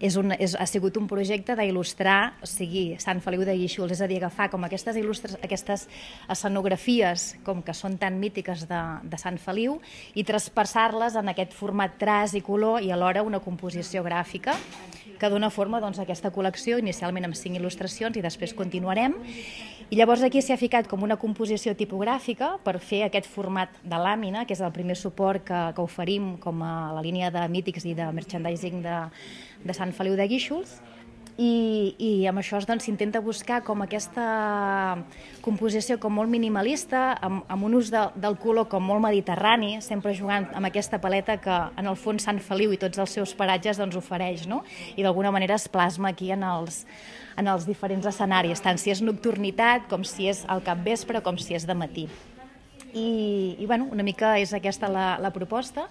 Ha sigut un projecte d'il·lustrar, o sigui, Sant Feliu de Guíxols, és a dir, agafar com aquestes escenografies com que són tan mítiques de Sant Feliu i traspassar-les en aquest format traç i color i alhora una composició gràfica que dona forma a aquesta col·lecció, inicialment amb 5 il·lustracions i després continuarem. I llavors aquí s'hi ha ficat com una composició tipogràfica per fer aquest format de làmina, que és el primer suport que oferim com a la línia de mítics i de merchandising de Sant Feliu de Guíxols, i amb això s'intenta buscar com aquesta composició com molt minimalista, amb un ús del color com molt mediterrani, sempre jugant amb aquesta paleta que en el fons Sant Feliu i tots els seus paratges ofereix, no? I d'alguna manera es plasma aquí en els diferents escenaris, tant si és nocturnitat com si és al capvespre com si és de matí. I una mica és aquesta la proposta,